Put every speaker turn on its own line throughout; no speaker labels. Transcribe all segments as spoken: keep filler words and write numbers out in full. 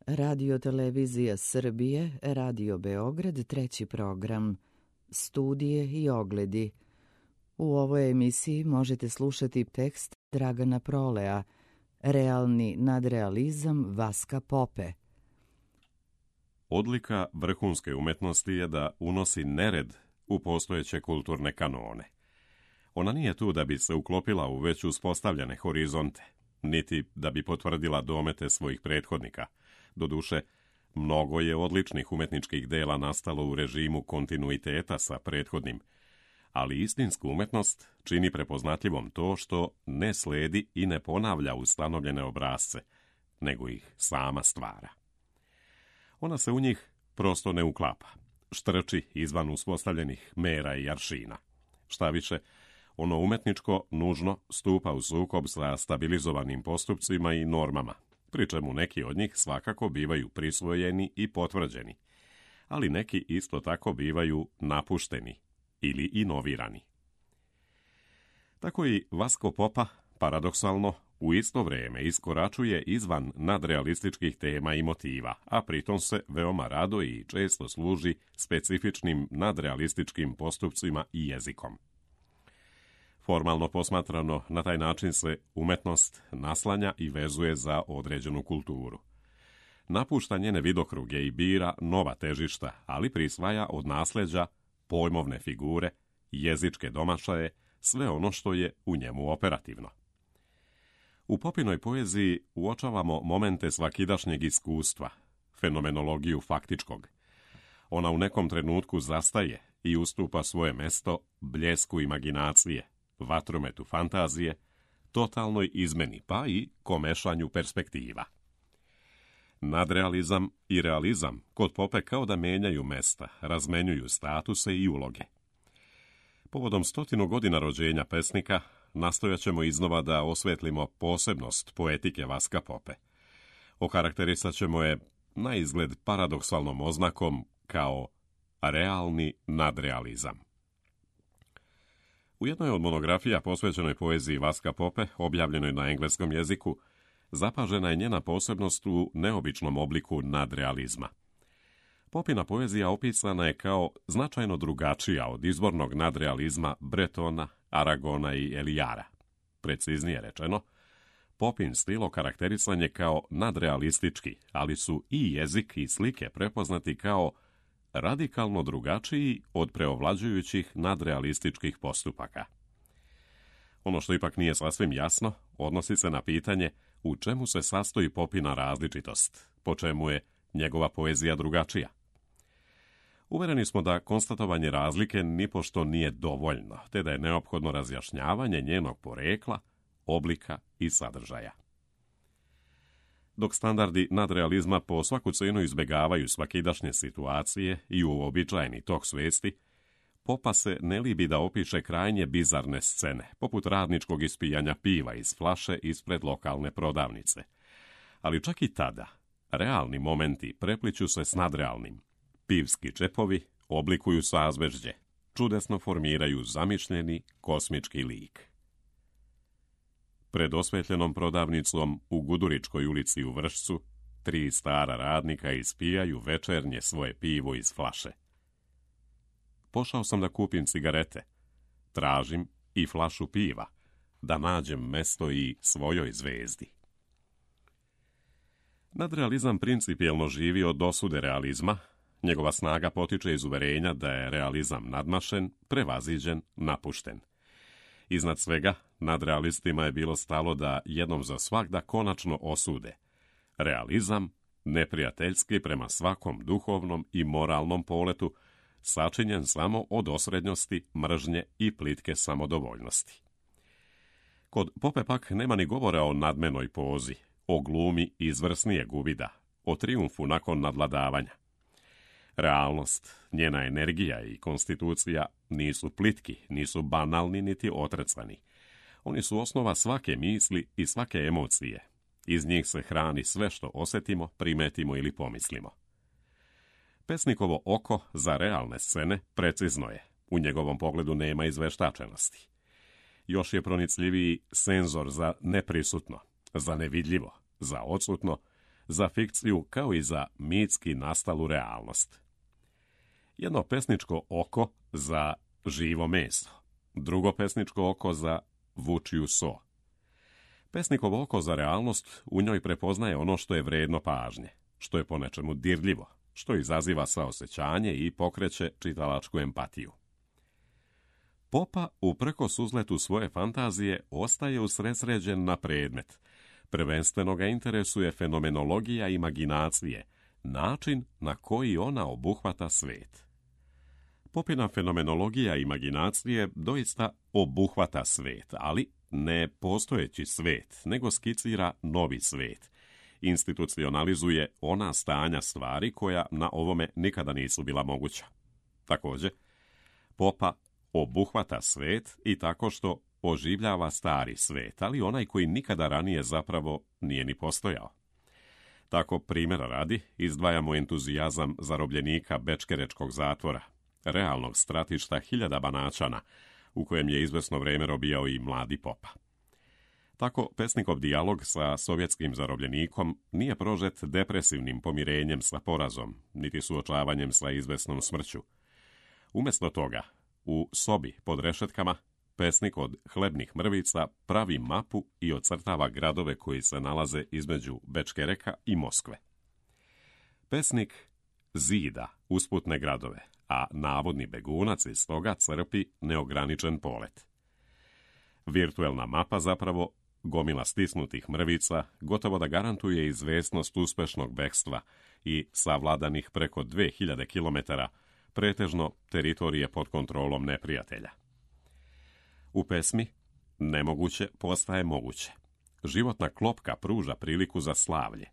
Radio Televizija Srbije, Radio Beograd, treći program, studije i ogledi. U ovoj emisiji možete slušati tekst Dragana Prolea, Realni nadrealizam Vaska Pope.
Odlika vrhunske umetnosti je da unosi nered u postojeće kulturne kanone. Ona nije tu da bi se uklopila u već uspostavljene horizonte, niti da bi potvrdila domete svojih prethodnika. Doduše, mnogo je odličnih umetničkih dela nastalo u režimu kontinuiteta sa prethodnim, ali istinsku umetnost čini prepoznatljivom to što ne sledi i ne ponavlja ustanovljene obrasce, nego ih sama stvara. Ona se u njih prosto ne uklapa, štrči izvan uspostavljenih mera i aršina. Šta više, ono umetničko nužno stupa u sukob sa stabilizovanim postupcima i normama, pri čemu neki od njih svakako bivaju prisvojeni i potvrđeni, ali neki isto tako bivaju napušteni ili inovirani. Tako i Vasko Popa, paradoksalno, u isto vrijeme iskoračuje izvan nadrealističkih tema i motiva, a pritom se veoma rado i često služi specifičnim nadrealističkim postupcima i jezikom. Formalno posmatrano, na taj način se umetnost naslanja i vezuje za određenu kulturu. Napušta njene vidokruge i bira nova težišta, ali prisvaja od nasljeđa pojmovne figure, jezičke domašaje, sve ono što je u njemu operativno. U Popinoj poeziji uočavamo momente svakidašnjeg iskustva, fenomenologiju faktičkog. Ona u nekom trenutku zastaje i ustupa svoje mesto bljesku imaginacije, vatrometu fantazije, totalnoj izmeni, pa i komešanju perspektiva. Nadrealizam i realizam kod Pope kao da menjaju mesta, razmenjuju statuse i uloge. Povodom stotinu godina rođenja pesnika nastojat ćemo iznova da osvetlimo posebnost poetike Vaska Pope. Okarakterisat ćemo je na izgled paradoksalnom oznakom kao realni nadrealizam. U jednoj od monografija posvećenoj poeziji Vaska Pope, objavljenoj na engleskom jeziku, zapažena je njena posebnost u neobičnom obliku nadrealizma. Popina poezija opisana je kao značajno drugačija od izvornog nadrealizma Bretona, Aragona i Elijara. Preciznije rečeno, Popin stil okarakterisan je kao nadrealistički, ali su i jezik i slike prepoznati kao radikalno drugačiji od preovlađujućih nadrealističkih postupaka. Ono što ipak nije sasvim jasno, odnosi se na pitanje u čemu se sastoji Popina različitost, po čemu je njegova poezija drugačija. Uvereni smo da konstatovanje razlike nipošto nije dovoljno, te da je neophodno razjašnjavanje njenog porekla, oblika i sadržaja. Dok standardi nadrealizma po svaku cenu izbjegavaju svakidašnje situacije i uobičajeni tok svijesti, Popa se ne libi da opiše krajnje bizarne scene, poput radničkog ispijanja piva iz flaše ispred lokalne prodavnice. Ali čak i tada, realni momenti prepliću se s nadrealnim. Pivski čepovi oblikuju sazvežđe, čudesno formiraju zamišljeni kosmički lik. Pred osvetljenom prodavnicom u Guduričkoj ulici u Vršcu, tri stara radnika ispijaju večernje svoje pivo iz flaše. Pošao sam da kupim cigarete. Tražim i flašu piva, da nađem mesto i svojoj zvezdi. Nadrealizam principijelno živi od dosude realizma. Njegova snaga potiče iz uverenja da je realizam nadmašen, prevaziđen, napušten. Iznad svega, nadrealistima je bilo stalo da jednom za svagda konačno osude realizam, neprijateljski prema svakom duhovnom i moralnom poletu, sačinjen samo od osrednjosti, mržnje i plitke samodovoljnosti. Kod Pope pak nema ni govora o nadmenoj pozi, o glumi izvrsnijeg uvida, o trijumfu nakon nadvladavanja. Realnost, njena energija i konstitucija nisu plitki, nisu banalni niti otrecani. Oni su osnova svake misli i svake emocije. Iz njih se hrani sve što osjetimo, primetimo ili pomislimo. Pesnikovo oko za realne scene precizno je. U njegovom pogledu nema izveštačenosti. Još je pronicljiviji senzor za neprisutno, za nevidljivo, za odsutno, za fikciju kao i za mitski nastalu realnost. Jedno pesničko oko za živo meso, drugo pesničko oko za vučiju so. Pesnikovo oko za realnost u njoj prepoznaje ono što je vredno pažnje, što je po nečemu dirljivo, što izaziva saosećanje i pokreće čitalačku empatiju. Popa, uprkos uzletu svoje fantazije, ostaje usredsređen na predmet. Prvenstveno ga interesuje fenomenologija imaginacije, način na koji ona obuhvata svet. Popina fenomenologija imaginacije doista obuhvata svet, ali ne postojeći svet, nego skicira novi svet. Institucionalizuje ona stanja stvari koja na ovome nikada nisu bila moguća. Također, Popa obuhvata svet i tako što oživljava stari svet, ali onaj koji nikada ranije zapravo nije ni postojao. Tako, primjera radi, izdvajamo entuzijazam zarobljenika bečkerečkog zatvora, realnog stratišta hiljada Banaćana, u kojem je izvesno vrijeme robijao i mladi Popa. Tako, pesnikov dijalog sa sovjetskim zarobljenikom nije prožet depresivnim pomirenjem sa porazom, niti suočavanjem sa izvesnom smrću. Umjesto toga, u sobi pod rešetkama, pesnik od hlebnih mrvica pravi mapu i ocrtava gradove koji se nalaze između Bečkereka i Moskve. Pesnik zida usputne gradove, a navodni begunac iz toga crpi neograničen polet. Virtuelna mapa zapravo, gomila stisnutih mrvica, gotovo da garantuje izvesnost uspešnog bekstva i savladanih preko dve hiljade kilometara, pretežno teritorije pod kontrolom neprijatelja. U pesmi nemoguće postaje moguće. Životna klopka pruža priliku za slavlje.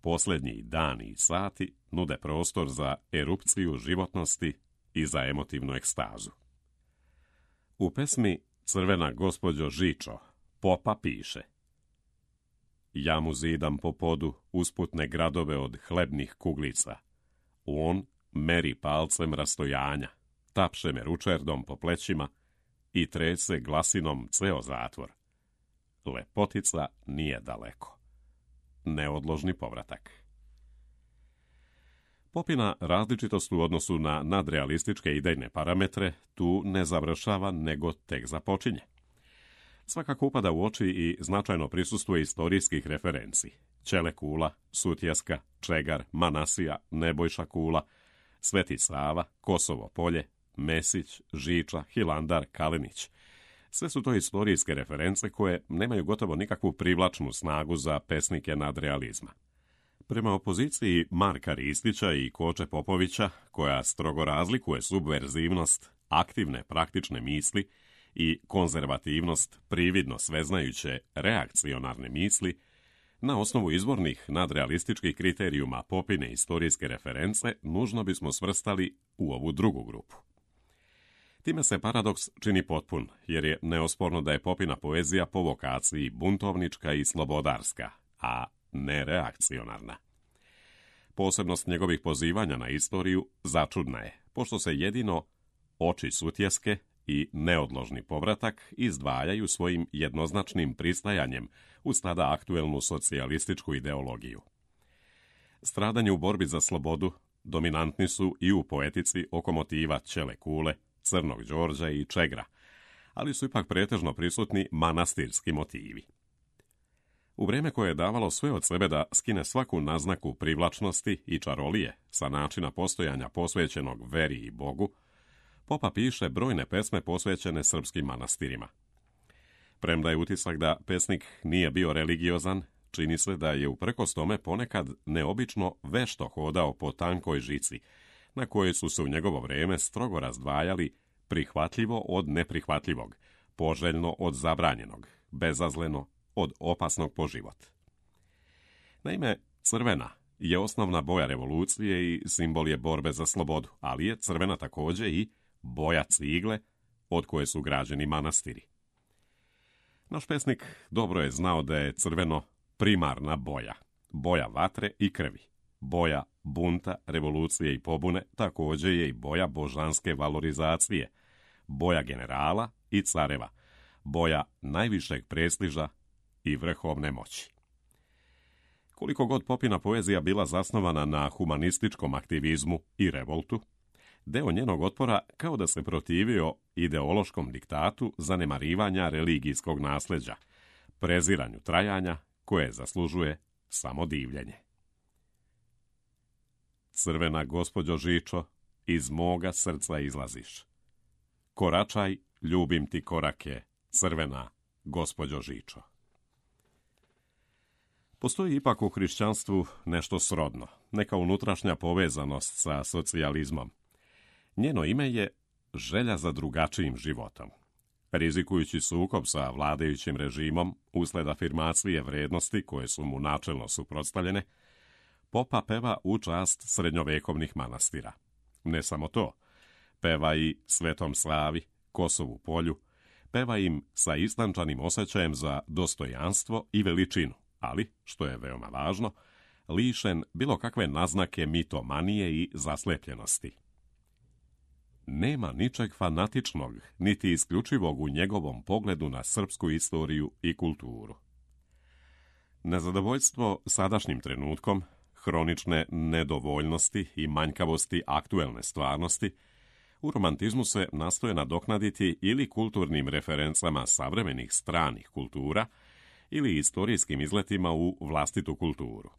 Posljednji dani i sati nude prostor za erupciju životnosti i za emotivnu ekstazu. U pesmi Crvena gospođo Žičo, Popa piše: ja mu zidam po podu usputne gradove od hlebnih kuglica. On meri palcem rastojanja, tapše me ručerdom po plećima i trese glasinom ceo zatvor. Lepotica nije daleko. Neodložni povratak. Popina različitost u odnosu na nadrealističke idejne parametre tu ne završava, nego tek započinje. Svakako upada u oči i značajno prisustuje istorijskih referenci. Ćele Kula, Sutjeska, Čegar, Manasija, Nebojša Kula, Sveti Sava, Kosovo polje, Mesić, Žiča, Hilandar, Kalinić. Sve su to istorijske reference koje nemaju gotovo nikakvu privlačnu snagu za pesnike nadrealizma. Prema opoziciji Marka Ristića i Koče Popovića, koja strogo razlikuje subverzivnost aktivne praktične misli i konzervativnost prividno sveznajuće reakcionarne misli, na osnovu izvornih nadrealističkih kriterijuma Popine istorijske reference nužno bismo svrstali u ovu drugu grupu. Time se paradoks čini potpun, jer je neosporno da je Popina poezija po vokaciji buntovnička i slobodarska, a ne reakcionarna. Posebnost njegovih pozivanja na istoriju začudna je, pošto se jedino oči Sutjeske i neodložni povratak izdvajaju svojim jednoznačnim pristajanjem uz tada aktuelnu socijalističku ideologiju. Stradanje u borbi za slobodu dominantni su i u poetici oko motiva Ćele Kule, Crnog Đorđa i Čegra, ali su ipak pretežno prisutni manastirski motivi. U vrijeme koje je davalo sve od sebe da skine svaku naznaku privlačnosti i čarolije sa načina postojanja posvećenog veri i Bogu, Popa piše brojne pesme posvećene srpskim manastirima. Premda je utisak da pesnik nije bio religiozan, čini se da je uprkos tome ponekad neobično vešto hodao po tankoj žici, na kojoj su se u njegovo vrijeme strogo razdvajali prihvatljivo od neprihvatljivog, poželjno od zabranjenog, bezazleno od opasnog po život. Naime, crvena je osnovna boja revolucije i simbol je borbe za slobodu, ali je crvena također i boja cigle od koje su građeni manastiri. Naš pesnik dobro je znao da je crveno primarna boja, boja vatre i krvi. Boja bunta, revolucije i pobune također je i boja božanske valorizacije, boja generala i careva, boja najvišeg prestiža i vrhovne moći. Koliko god Popina poezija bila zasnovana na humanističkom aktivizmu i revoltu, deo njenog otpora kao da se protivio ideološkom diktatu zanemarivanja religijskog nasljeđa, preziranju trajanja koje zaslužuje samo divljenje. Crvena gospođo Žičo, iz moga srca izlaziš. Koračaj, ljubim ti korake, crvena gospođo Žičo. Postoji ipak u hrišćanstvu nešto srodno, neka unutrašnja povezanost sa socijalizmom. Njeno ime je želja za drugačijim životom. Rizikujući sukob sa vladajućim režimom usled afirmacije vrednosti koje su mu načelno suprotstavljene, Popa peva u čast srednjovekovnih manastira. Ne samo to, peva i Svetom Slavi, Kosovu polju, peva im sa istančanim osjećajem za dostojanstvo i veličinu, ali, što je veoma važno, lišen bilo kakve naznake mitomanije i zaslepljenosti. Nema ničeg fanatičnog, niti isključivog u njegovom pogledu na srpsku istoriju i kulturu. Nezadovoljstvo sadašnjim trenutkom, hronične nedovoljnosti i manjkavosti aktuelne stvarnosti, u romantizmu se nastoje nadoknaditi ili kulturnim referencama savremenih stranih kultura ili istorijskim izletima u vlastitu kulturu.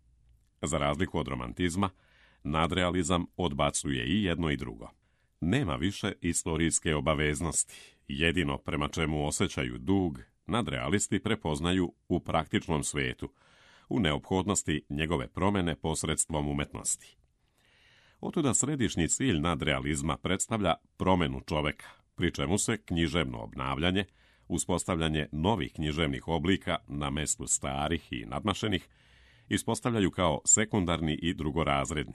Za razliku od romantizma, nadrealizam odbacuje i jedno i drugo. Nema više istorijske obaveznosti, jedino prema čemu osjećaju dug, nadrealisti prepoznaju u praktičnom svetu, u neophodnosti njegove promjene posredstvom umetnosti. Otuda središnji cilj nadrealizma predstavlja promjenu čoveka, pri čemu se književno obnavljanje, uspostavljanje novih književnih oblika na mestu starih i nadmašenih, ispostavljaju kao sekundarni i drugorazredni.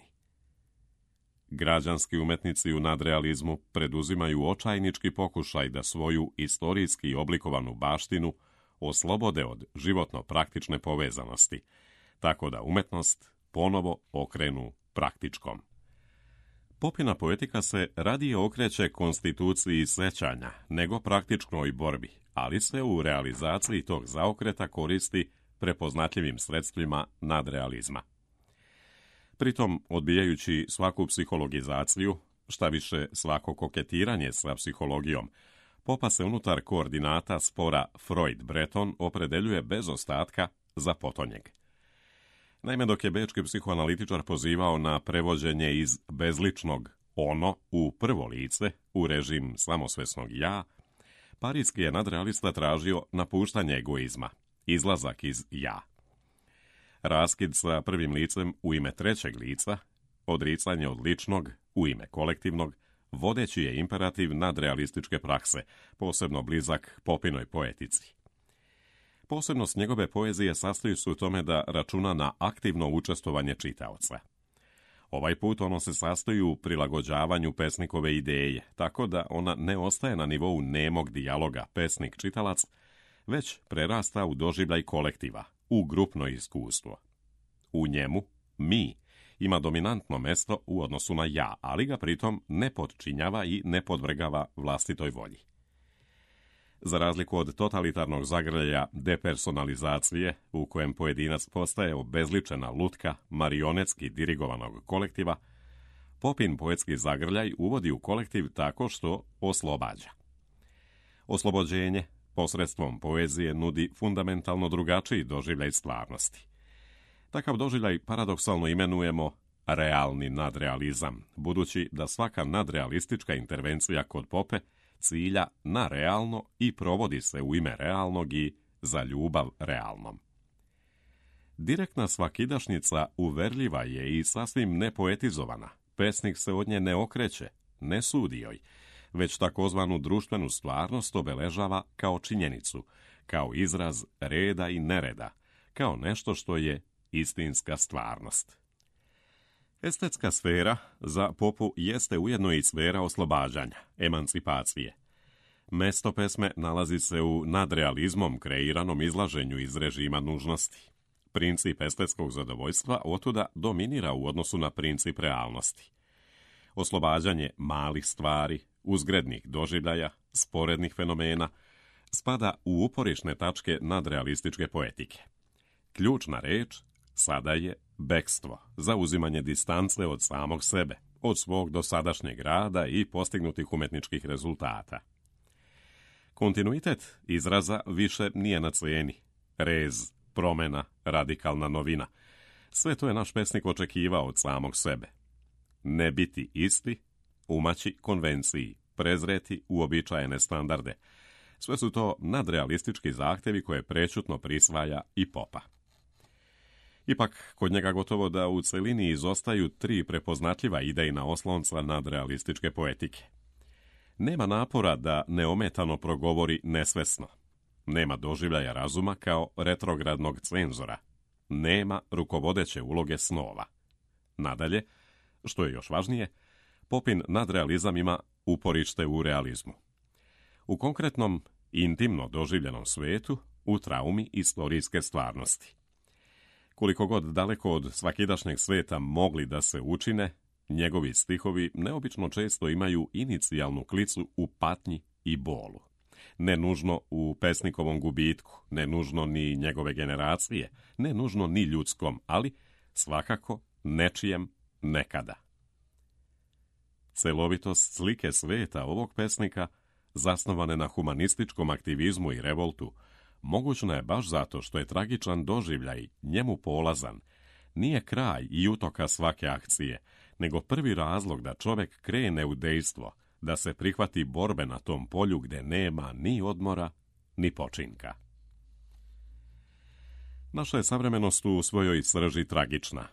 Građanski umetnici u nadrealizmu preduzimaju očajnički pokušaj da svoju istorijski oblikovanu baštinu oslobode od životno praktične povezanosti, tako da umetnost ponovo okrenu praktičkom. Popina poetika se radije okreće konstituciji sećanja nego praktičnoj borbi, ali se u realizaciji tog zaokreta koristi prepoznatljivim sredstvima nadrealizma. Pritom, odbijajući svaku psihologizaciju, šta više svako koketiranje sa psihologijom, Popa se unutar koordinata spora Freud-Breton opredeljuje bez ostatka za potonjeg. Naime, dok je bečki psihoanalitičar pozivao na prevođenje iz bezličnog ono u prvo lice, u režim samosvesnog ja, parijski je nadrealista tražio napuštanje egoizma, izlazak iz ja. Raskid sa prvim licem u ime trećeg lica, odricanje od ličnog u ime kolektivnog, vodeći je imperativ nadrealističke prakse, posebno blizak Popinoj poetici. Posebnost njegove poezije sastoji se u tome da računa na aktivno učestvovanje čitaoca. Ovaj put ono se sastoji u prilagođavanju pesnikove ideje, tako da ona ne ostaje na nivou nemog dijaloga pesnik-čitalac, već prerasta u doživljaj kolektiva, u grupno iskustvo. U njemu, mi, ima dominantno mesto u odnosu na ja, ali ga pritom ne podčinjava i ne podvrgava vlastitoj volji. Za razliku od totalitarnog zagrljaja depersonalizacije, u kojem pojedinac postaje obezličena lutka marionetski dirigovanog kolektiva, Popin poetski zagrljaj uvodi u kolektiv tako što oslobađa. Oslobođenje posredstvom poezije nudi fundamentalno drugačiji doživljaj stvarnosti. Takav doživljaj paradoksalno imenujemo realni nadrealizam, budući da svaka nadrealistička intervencija kod Pope cilja na realno i provodi se u ime realnog i za ljubav realnom. Direktna svakidašnjica uverljiva je i sasvim nepoetizovana. Pesnik se od nje ne okreće, ne sudi joj, već takozvanu društvenu stvarnost obeležava kao činjenicu, kao izraz reda i nereda, kao nešto što je istinska stvarnost. Estetska sfera za Popu jeste ujedno i sfera oslobađanja, emancipacije. Mesto pesme nalazi se u nadrealizmom kreiranom izlaženju iz režima nužnosti. Princip estetskog zadovoljstva otuda dominira u odnosu na princip realnosti. Oslobađanje malih stvari, uzgrednih doživljaja, sporednih fenomena, spada u uporišne tačke nadrealističke poetike. Ključna reč, Sada je bekstvo, zauzimanje distance od samog sebe, od svog dosadašnjeg rada i postignutih umetničkih rezultata. Kontinuitet izraza više nije na cijeni. Rez, promjena, radikalna novina. Sve to je naš pesnik očekivao od samog sebe. Ne biti isti, umaći konvenciji, prezreti uobičajene standarde. Sve su to nadrealistički zahtjevi koje prečutno prisvaja i popa. Ipak, kod njega gotovo da u celini izostaju tri prepoznatljiva idejna oslonca nadrealističke poetike. Nema napora da neometano progovori nesvesno. Nema doživljaja razuma kao retrogradnog cenzora. Nema rukovodeće uloge snova. Nadalje, što je još važnije, Popin nadrealizam ima uporište u realizmu. U konkretnom, intimno doživljenom svetu, u traumi istorijske stvarnosti. Koliko god daleko od svakidašnjeg sveta mogli da se učine, njegovi stihovi neobično često imaju inicijalnu klicu u patnji i bolu. Ne nužno u pesnikovom gubitku, ne nužno ni njegove generacije, ne nužno ni ljudskom, ali svakako nečijem nekada. Celovitost slike sveta ovog pesnika, zasnovane na humanističkom aktivizmu i revoltu, mogućna je baš zato što je tragičan doživljaj njemu polazan, nije kraj i utoka svake akcije, nego prvi razlog da čovjek krene u dejstvo, da se prihvati borbe na tom polju gdje nema ni odmora, ni počinka. Naša je savremenost u svojoj srži tragična.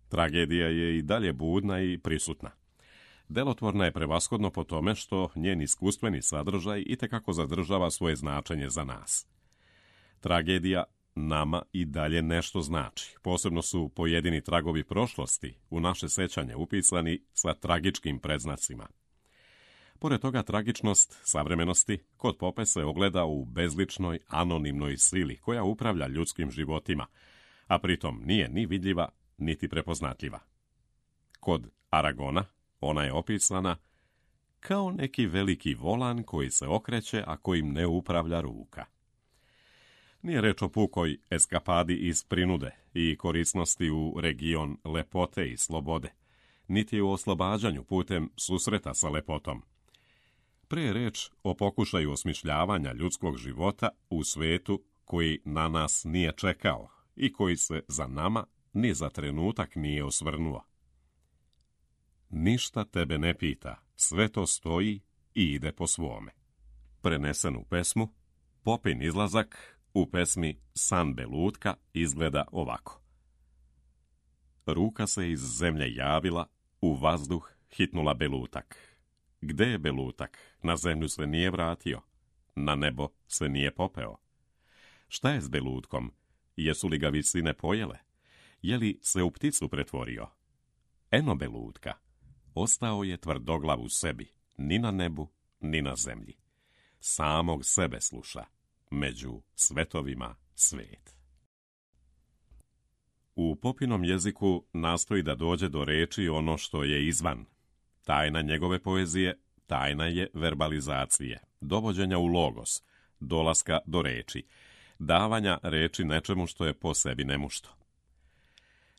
Tragedija je i dalje budna i prisutna. Delotvorna je prevashodno po tome što njen iskustveni sadržaj itekako zadržava svoje značenje za nas. Tragedija nama i dalje nešto znači. Posebno su pojedini tragovi prošlosti u naše sećanje upisani sa tragičkim predznacima. Pored toga, tragičnost savremenosti kod Pope se ogleda u bezličnoj, anonimnoj sili koja upravlja ljudskim životima, a pritom nije ni vidljiva, niti prepoznatljiva. Kod Aragona ona je opisana kao neki veliki volan koji se okreće, a kojim ne upravlja ruka. Nije reč o pukoj eskapadi iz prinude i korisnosti u region lepote i slobode, niti u oslobađanju putem susreta sa lepotom. Pre je reč o pokušaju osmišljavanja ljudskog života u svetu koji na nas nije čekao i koji se za nama ni za trenutak nije osvrnuo. Ništa tebe ne pita, sve to stoji i ide po svome. Prenesen u pesmu, Popin izlazak u pesmi San Belutka izgleda ovako. Ruka se iz zemlje javila, u vazduh hitnula Belutak. Gde je Belutak? Na zemlju se nije vratio, na nebo se nije popeo. Šta je s Belutkom? Jesu li ga visine pojele? Je li se u pticu pretvorio? Eno Belutka. Ostao je tvrdoglav u sebi, ni na nebu, ni na zemlji. Samog sebe sluša, među svetovima svet. U Popinom jeziku nastoji da dođe do reči ono što je izvan. Tajna njegove poezije, tajna je verbalizacije, dovođenja u logos, dolaska do reči, davanja reči nečemu što je po sebi nemušto.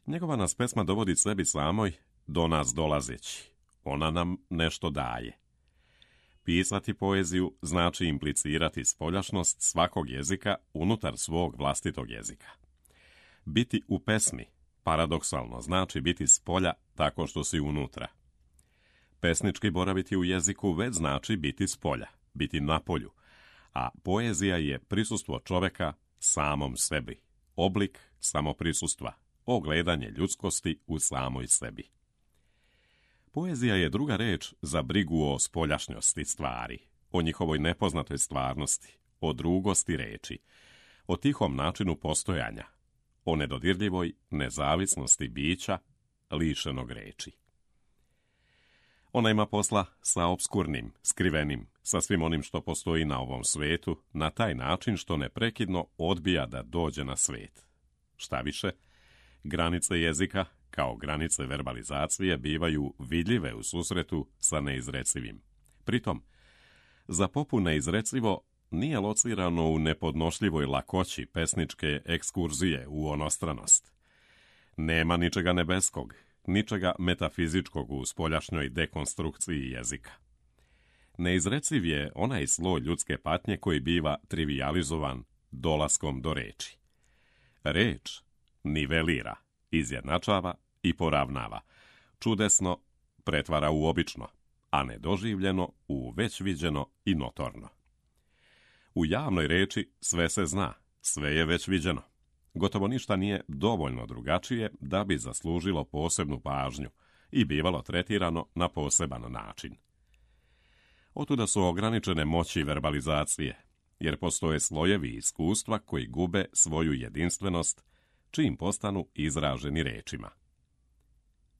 Njegova nas pesma dovodi sebi samoj, do nas dolazeći. Ona nam nešto daje. Pisati poeziju znači implicirati spoljašnost svakog jezika unutar svog vlastitog jezika. Biti u pesmi, paradoksalno, znači biti spolja tako što si unutra. Pesnički boraviti u jeziku već znači biti spolja, biti na polju, a poezija je prisustvo čoveka samom sebi, oblik samoprisustva, ogledanje ljudskosti u samoj sebi. Poezija je druga reč za brigu o spoljašnjosti stvari, o njihovoj nepoznatoj stvarnosti, o drugosti reči, o tihom načinu postojanja, o nedodirljivoj nezavisnosti bića lišenog reči. Ona ima posla sa obskurnim, skrivenim, sa svim onim što postoji na ovom svetu, na taj način što neprekidno odbija da dođe na svet. Šta više, granice jezika, kao granice verbalizacije, bivaju vidljive u susretu sa neizrecivim. Pritom, za Popu neizrecivo nije locirano u nepodnošljivoj lakoći pesničke ekskurzije u onostranost. Nema ničega nebeskog, ničega metafizičkog u spoljašnjoj dekonstrukciji jezika. Neizreciv je onaj sloj ljudske patnje koji biva trivijalizovan dolaskom do reči. Reč nivelira, izjednačava i poravnava, čudesno pretvara u obično, a nedoživljeno u već viđeno i notorno. U javnoj reči sve se zna, sve je već viđeno. Gotovo ništa nije dovoljno drugačije da bi zaslužilo posebnu pažnju i bivalo tretirano na poseban način. Otuda su ograničene moći verbalizacije, jer postoje slojevi iskustva koji gube svoju jedinstvenost čim postanu izraženi rečima.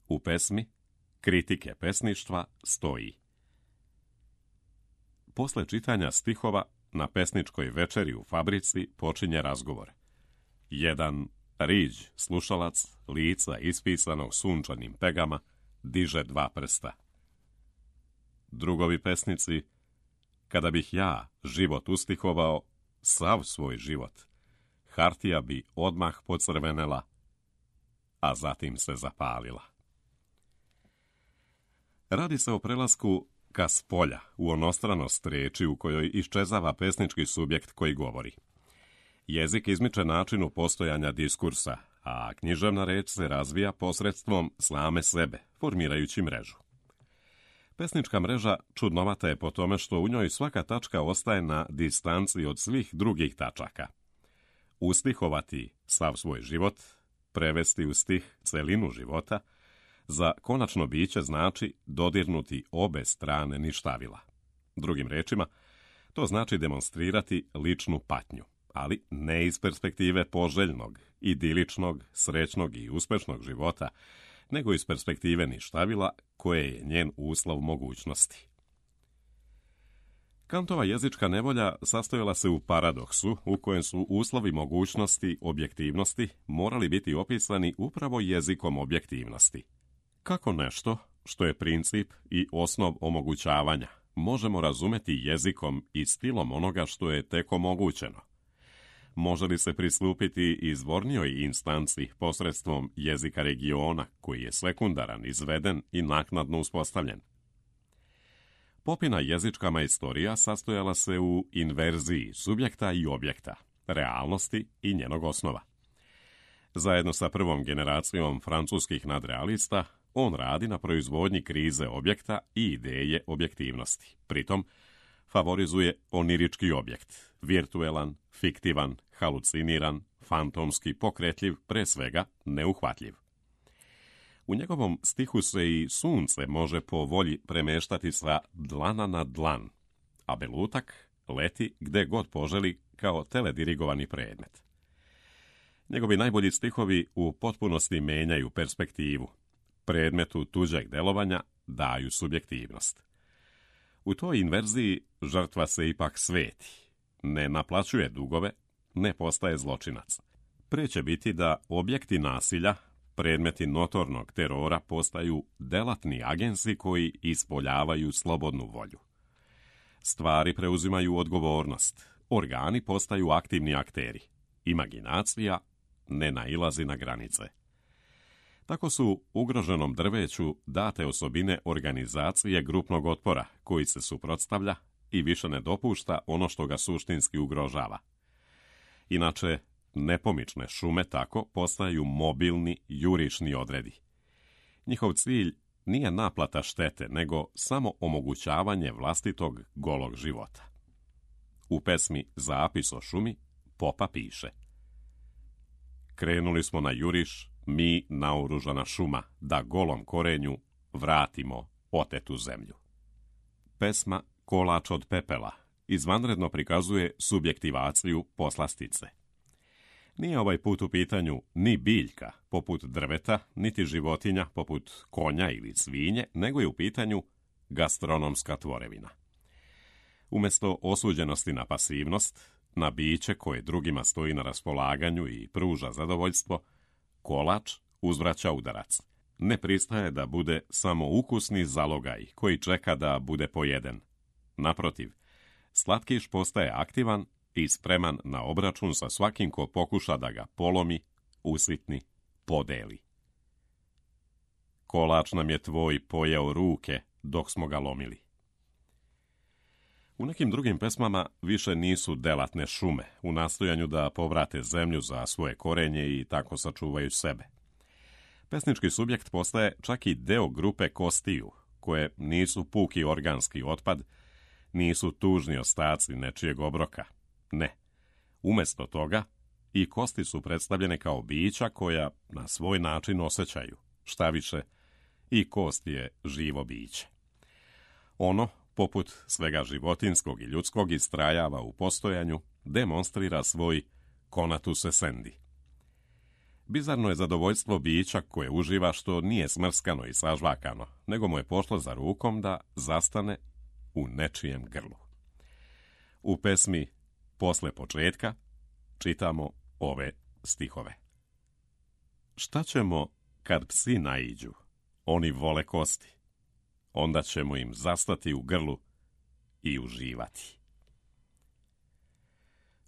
U pesmi Kritike pesništva stoji: posle čitanja stihova na pesničkoj večeri u fabrici počinje razgovor. Jedan riđ slušalac lica ispisanog sunčanim pegama diže dva prsta. Drugovi pesnici: kada bih ja život ustihovao, sav svoj život, hartija bi odmah pocrvenela, a zatim se zapalila. Radi se o prelasku ka spolja, u onostranost reči u kojoj iščezava pesnički subjekt koji govori. Jezik izmiče načinu postojanja diskursa, a književna reč se razvija posredstvom same sebe, formirajući mrežu. Pesnička mreža čudnovata je po tome što u njoj svaka tačka ostaje na distanci od svih drugih tačaka. Ustihovati sav svoj život, prevesti u stih celinu života, za konačno biće znači dodirnuti obe strane ništavila. Drugim rečima, to znači demonstrirati ličnu patnju, ali ne iz perspektive poželjnog, idiličnog, srećnog i uspešnog života, nego iz perspektive ništavila koje je njen uslov mogućnosti. Kantova jezička nevolja sastojala se u paradoksu u kojem su uslovi mogućnosti objektivnosti morali biti opisani upravo jezikom objektivnosti. Kako nešto, što je princip i osnov omogućavanja, možemo razumeti jezikom i stilom onoga što je tek omogućeno? Može li se pristupiti izvornijoj instanci posredstvom jezika regiona, koji je sekundaran, izveden i naknadno uspostavljen? Popina jezička majstorija sastojala se u inverziji subjekta i objekta, realnosti i njenog osnova. Zajedno sa prvom generacijom francuskih nadrealista, on radi na proizvodnji krize objekta i ideje objektivnosti. Pritom, favorizuje onirički objekt, virtuelan, fiktivan, haluciniran, fantomski, pokretljiv, pre svega neuhvatljiv. U njegovom stihu se i sunce može po volji premeštati sa dlana na dlan, a belutak leti gde god poželi kao teledirigovani predmet. Njegovi najbolji stihovi u potpunosti menjaju perspektivu, predmetu tuđeg delovanja daju subjektivnost. U toj inverziji žrtva se ipak sveti, ne naplaćuje dugove, ne postaje zločinac. Pre će biti da objekti nasilja, predmeti notornog terora, postaju delatni agensi koji ispoljavaju slobodnu volju. Stvari preuzimaju odgovornost, organi postaju aktivni akteri, imaginacija ne nailazi na granice. Tako su ugroženom drveću date osobine organizacije grupnog otpora koji se suprotstavlja i više ne dopušta ono što ga suštinski ugrožava. Inače, nepomične šume tako postaju mobilni jurišni odredi. Njihov cilj nije naplata štete, nego samo omogućavanje vlastitog golog života. U pesmi Zapis o šumi Popa piše: krenuli smo na juriš, mi naoružana šuma, da golom korenju vratimo otetu zemlju. Pesma Kolač od pepela izvanredno prikazuje subjektivaciju poslastice. Nije ovaj put u pitanju ni biljka, poput drveta, niti životinja, poput konja ili svinje, nego je u pitanju gastronomska tvorevina. Umjesto osuđenosti na pasivnost, na biće koje drugima stoji na raspolaganju i pruža zadovoljstvo, kolač uzvraća udarac. Ne pristaje da bude samo ukusni zalogaj koji čeka da bude pojeden. Naprotiv, slatkiš postaje aktivan i spreman na obračun sa svakim ko pokuša da ga polomi, usitni, podeli. kolač nam je tvoj pojeo ruke dok smo ga lomili. U nekim drugim pesmama više nisu delatne šume u nastojanju da povrate zemlju za svoje korenje i tako sačuvaju sebe. Pesnički subjekt postaje čak i deo grupe kostiju, koje nisu puki organski otpad, nisu tužni ostaci nečijeg obroka. Ne. Umjesto toga, i kosti su predstavljene kao bića koja na svoj način osjećaju. Šta više, i kost je živo biće. Ono, poput svega životinskog i ljudskog, istrajava u postojanju, demonstrira svoj conatus essendi. Bizarno je zadovoljstvo bića koje uživa što nije smrskano i sažvakano, nego mu je pošlo za rukom da zastane u nečijem grlu. U pesmi Posle početka čitamo ove stihove. Šta ćemo kad psi naiđu? Oni vole kosti. Onda ćemo im zastati u grlu i uživati.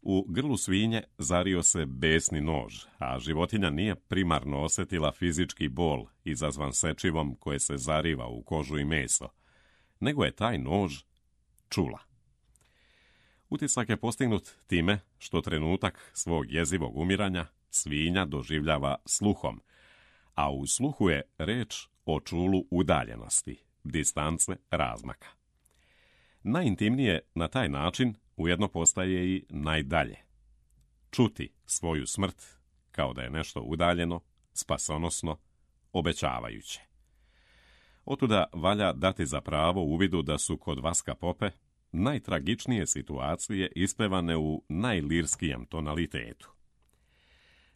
U grlu svinje zario se besni nož, a životinja nije primarno osjetila fizički bol izazvan sečivom koje se zariva u kožu i meso, nego je taj nož čula. Utisak je postignut time što trenutak svog jezivog umiranja svinja doživljava sluhom, a u sluhu je reč o čulu udaljenosti, distance, razmaka. Najintimnije na taj način ujedno postaje i najdalje. Čuti svoju smrt kao da je nešto udaljeno, spasonosno, obećavajuće. Otuda valja dati za pravo uvidu da su kod Vaska Pope najtragičnije situacije ispevane u najlirskijem tonalitetu.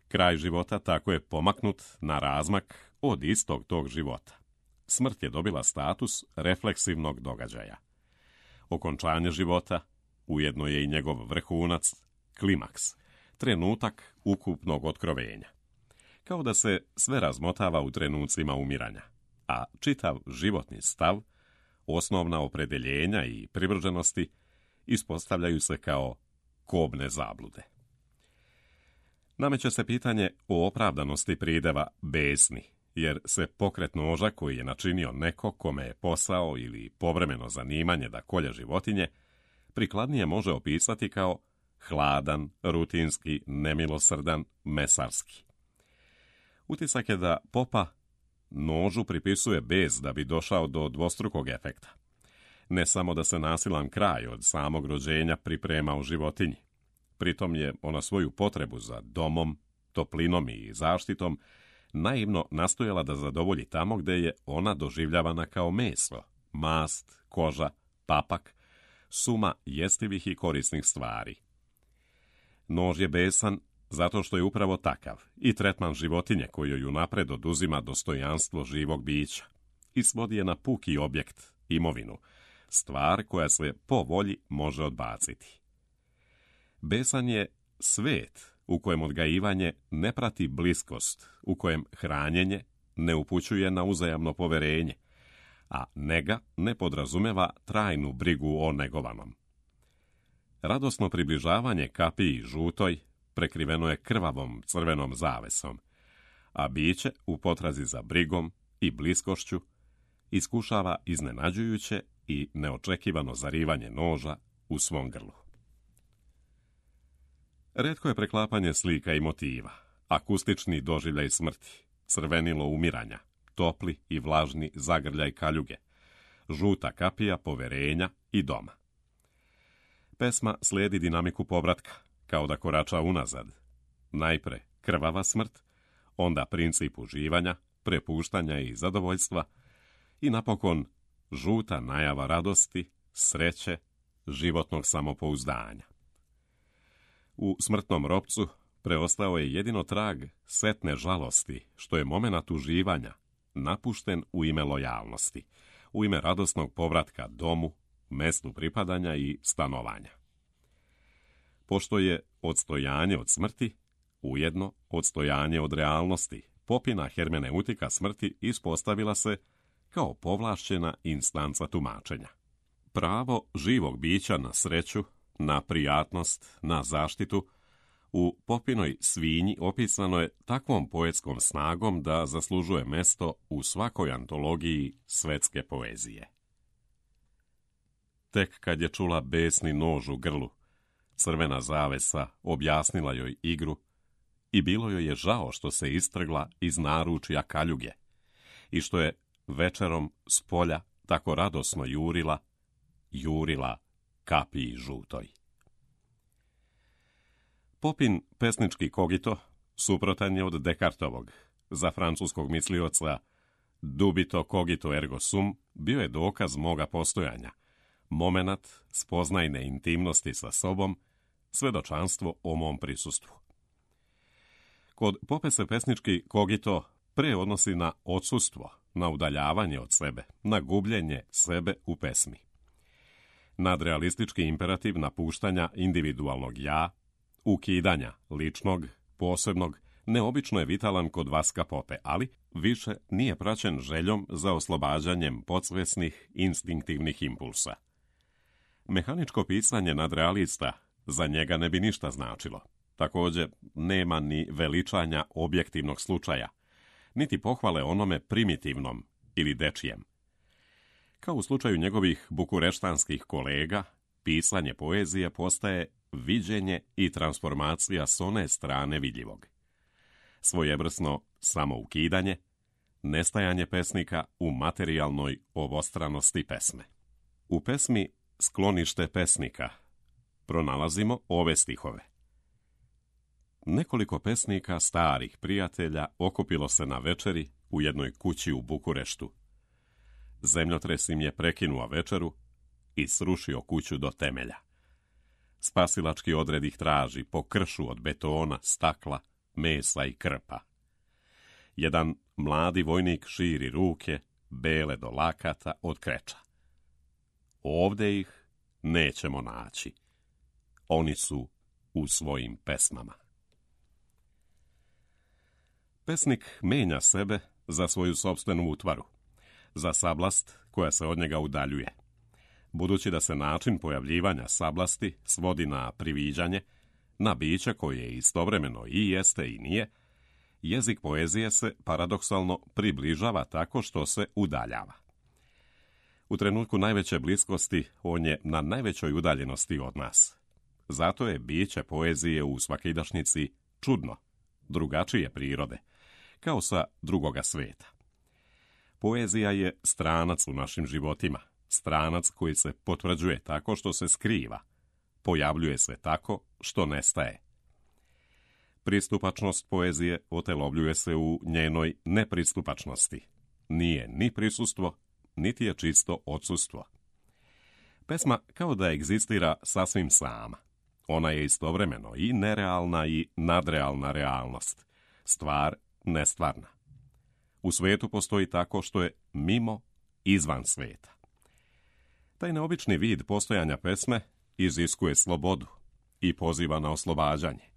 Kraj života tako je pomaknut na razmak od istog tog života. Smrt je dobila status refleksivnog događaja. Okončanje života ujedno je i njegov vrhunac, klimaks, trenutak ukupnog otkrovenja. Kao da se sve razmotava u trenucima umiranja, a čitav životni stav, osnovna opredeljenja i privrženosti ispostavljaju se kao kobne zablude. Nameće se pitanje o opravdanosti prideva besni, jer se pokret noža koji je načinio neko kome je posao ili povremeno zanimanje da kolje životinje, prikladnije može opisati kao hladan, rutinski, nemilosrdan, mesarski. Utisak je da Popa nožu pripisuje bes da bi došao do dvostrukog efekta. Ne samo da se nasilan kraj od samog rođenja priprema u životinji. Pritom je ona svoju potrebu za domom, toplinom i zaštitom naivno nastojala da zadovolji tamo gde je ona doživljavana kao meso, mast, koža, papak, suma jestivih i korisnih stvari. Nož je besan zato što je upravo takav i tretman životinje kojoj unapred oduzima dostojanstvo živog bića i svodi je na puki objekt, imovinu, stvar koja se po volji može odbaciti. Besan je svet u kojem odgajivanje ne prati bliskost, u kojem hranjenje ne upućuje na uzajamno poverenje, a nega ne podrazumeva trajnu brigu o negovanom. Radosno približavanje kapiji žutoj prekriveno je krvavom crvenom zavesom, a biće u potrazi za brigom i bliskošću iskušava iznenađujuće i neočekivano zarivanje noža u svom grlu. Retko je preklapanje slika i motiva, akustični doživljaj smrti, crvenilo umiranja, topli i vlažni zagrljaj kaljuge, žuta kapija poverenja i doma. Pesma slijedi dinamiku povratka, kao da korača unazad. Najpre krvava smrt, onda princip uživanja, prepuštanja i zadovoljstva i napokon žuta najava radosti, sreće, životnog samopouzdanja. U smrtnom ropcu preostao je jedino trag setne žalosti, što je momenat uživanja, napušten u ime lojalnosti, u ime radosnog povratka domu, mestu pripadanja i stanovanja. Pošto je odstojanje od smrti, ujedno odstojanje od realnosti, Popina hermeneutika smrti ispostavila se kao povlašćena instanca tumačenja. Pravo živog bića na sreću, na prijatnost, na zaštitu, U Popinoj svinji opisano je takvom poetskom snagom da zaslužuje mesto u svakoj antologiji svetske poezije. Tek kad je čula besni nož u grlu, crvena zavesa objasnila joj igru i bilo joj je žao što se istrgla iz naručja kaljuge i što je večerom s polja tako radosno jurila, jurila kapiji žutoj. Popin pesnički kogito suprotan je od Descartovog. Za francuskog mislioca dubito cogito ergo sum bio je dokaz moga postojanja, momenat spoznajne intimnosti sa sobom, svedočanstvo o mom prisustvu. Kod Pope se pesnički kogito pre odnosi na odsustvo, na udaljavanje od sebe, na gubljenje sebe u pesmi. Nadrealistički imperativ napuštanja individualnog ja, ukidanja ličnog, posebnog, neobično je vitalan kod Vaska Pope, ali više nije praćen željom za oslobađanjem podsvesnih, instinktivnih impulsa. Mehaničko pisanje nadrealista za njega ne bi ništa značilo. Također, nema ni veličanja objektivnog slučaja, niti pohvale onome primitivnom ili dečijem. Kao u slučaju njegovih bukureštanskih kolega, pisanje poezije postaje viđenje i transformacija s one strane vidljivog. Svojevrsno samoukidanje, nestajanje pesnika u materijalnoj obostranosti pesme. U pesmi Sklonište pesnika pronalazimo ove stihove. Nekoliko pesnika, starih prijatelja, okupilo se na večeri u jednoj kući u Bukureštu. Zemljotres im je prekinuo večeru i srušio kuću do temelja. Spasilački odred ih traži po kršu od betona, stakla, mesa i krpa. Jedan mladi vojnik širi ruke, bele do lakata od kreča. Ovde ih nećemo naći. Oni su u svojim pesmama. Pesnik menja sebe za svoju sopstvenu utvaru, za sablast koja se od njega udaljuje. Budući da se način pojavljivanja sablasti svodi na priviđanje, na biće koje istovremeno i jeste i nije, jezik poezije se paradoksalno približava tako što se udaljava. U trenutku najveće bliskosti on je na najvećoj udaljenosti od nas. Zato je biće poezije u svakidašnjici čudno, drugačije prirode, kao sa drugoga sveta. Poezija je stranac u našim životima, stranac koji se potvrđuje tako što se skriva, pojavljuje se tako što nestaje. Pristupačnost poezije otelovljuje se u njenoj nepristupačnosti. Nije ni prisustvo, niti je čisto odsustvo. Pesma kao da egzistira sasvim sama. Ona je istovremeno i nerealna i nadrealna realnost, stvar nestvarna. U svetu postoji tako što je mimo, izvan sveta. Taj neobični vid postojanja pesme iziskuje slobodu i poziva na oslobađanje.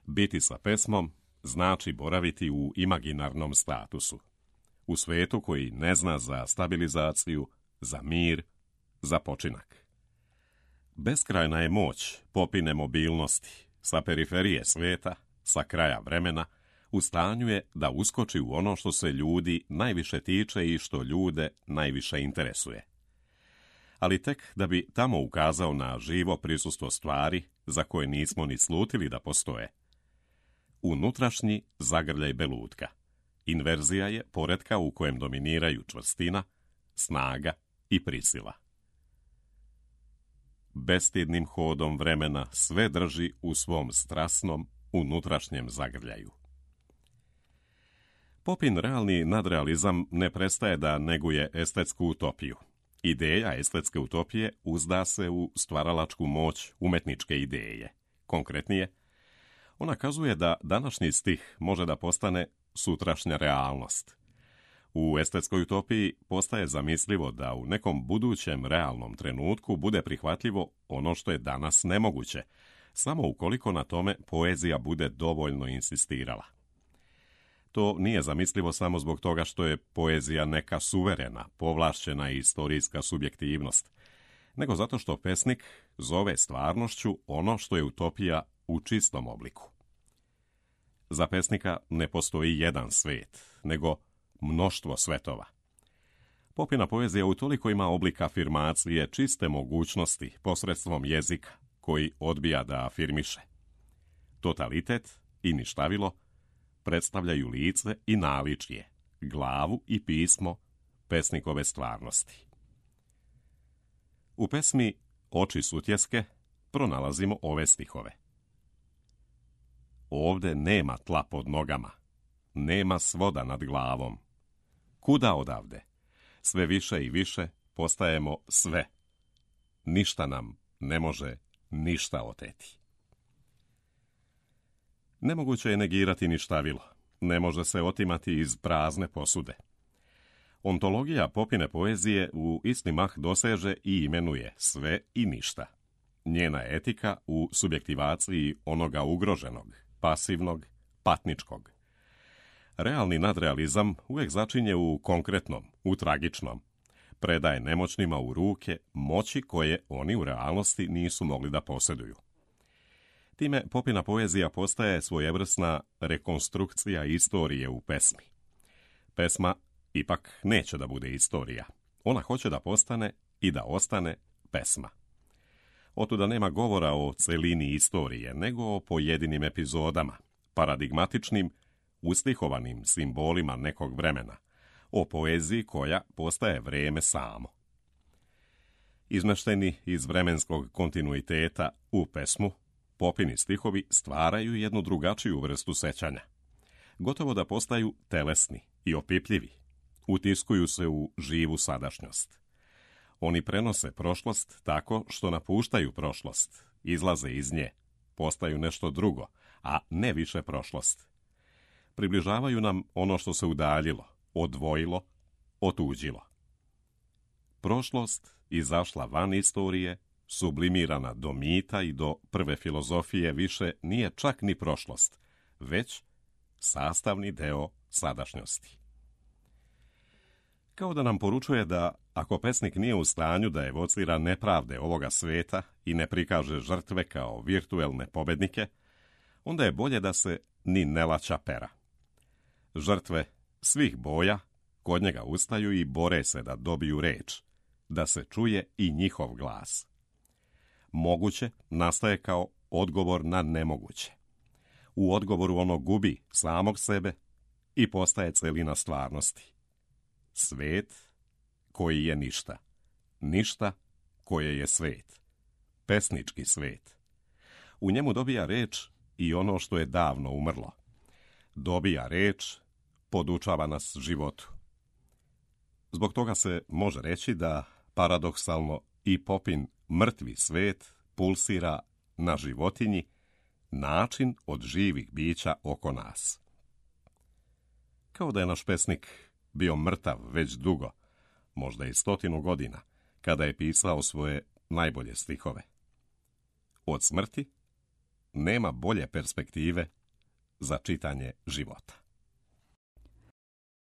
Biti sa pesmom znači boraviti u imaginarnom statusu, u svetu koji ne zna za stabilizaciju, za mir, za počinak. Beskrajna je moć Popine mobilnosti, sa periferije sveta, sa kraja vremena, u stanju je da uskoči u ono što se ljudi najviše tiče i što ljude najviše interesuje. Ali tek da bi tamo ukazao na živo prisustvo stvari za koje nismo ni slutili da postoje. Unutrašnji zagrljaj belutka. Inverzija je poretka u kojem dominiraju čvrstina, snaga i prisila. Bestidnim hodom vremena sve drži u svom strasnom unutrašnjem zagrljaju. Popin realni nadrealizam ne prestaje da neguje estetsku utopiju. Ideja estetske utopije uzda se u stvaralačku moć umetničke ideje. Konkretnije, ona kazuje da današnji stih može da postane sutrašnja realnost. U estetskoj utopiji postaje zamislivo da u nekom budućem realnom trenutku bude prihvatljivo ono što je danas nemoguće, samo ukoliko na tome poezija bude dovoljno insistirala. To nije zamislivo samo zbog toga što je poezija neka suverena, povlašćena istorijska subjektivnost, nego zato što pesnik zove stvarnošću ono što je utopija u čistom obliku. Za pesnika ne postoji jedan svet, nego mnoštvo svetova. Popina poezija utoliko ima oblik afirmacije čiste mogućnosti posredstvom jezika, koji odbija da afirmiše. Totalitet i ništavilo predstavljaju lice i naličje, glavu i pismo pesnikove stvarnosti. U pesmi Oči sutjeske pronalazimo ove stihove. Ovde nema tla pod nogama, nema svoda nad glavom. Kuda odavde? Sve više i više postajemo sve. Ništa nam ne može ništa oteti. Nemoguće je negirati ništavilo. Ne može se otimati iz prazne posude. Ontologija Popine poezije u isti mah doseže i imenuje sve i ništa. Njena etika u subjektivaciji onoga ugroženog, pasivnog, patničkog. Realni nadrealizam uvijek začinje u konkretnom, u tragičnom. Predaje nemoćnima u ruke moći koje oni u realnosti nisu mogli da posjeduju. Time Popina poezija postaje svojevrsna rekonstrukcija istorije u pesmi. Pesma ipak neće da bude istorija. Ona hoće da postane i da ostane pesma. Otuda nema govora o celini istorije, nego o pojedinim epizodama, paradigmatičnim, ustihovanim simbolima nekog vremena, o poeziji koja postaje vreme samo. Izmešteni iz vremenskog kontinuiteta u pesmu, Popini stihovi stvaraju jednu drugačiju vrstu sećanja. Gotovo da postaju telesni i opipljivi. Utiskuju se u živu sadašnjost. Oni prenose prošlost tako što napuštaju prošlost, izlaze iz nje, postaju nešto drugo, a ne više prošlost. Približavaju nam ono što se udaljilo, odvojilo, otuđilo. Prošlost izašla van istorije, sublimirana do mita i do prve filozofije, više nije čak ni prošlost, već sastavni deo sadašnjosti. Kao da nam poručuje da ako pesnik nije u stanju da evocira nepravde ovoga sveta i ne prikaže žrtve kao virtuelne pobednike, onda je bolje da se ni ne laća pera. Žrtve svih boja kod njega ustaju i bore se da dobiju reč, da se čuje i njihov glas. Moguće nastaje kao odgovor na nemoguće. U odgovoru ono gubi samog sebe i postaje celina stvarnosti. Svet koji je ništa. Ništa koje je svet. Pesnički svet. U njemu dobija reč i ono što je davno umrlo. Dobija reč, podučava nas životu. Zbog toga se može reći da paradoksalno i Popin mrtvi svet pulsira na životinji, način od živih bića oko nas. Kao da je naš pesnik bio mrtav već dugo, možda i stotinu godina, kada je pisao svoje najbolje stihove. Od smrti nema bolje perspektive za čitanje života.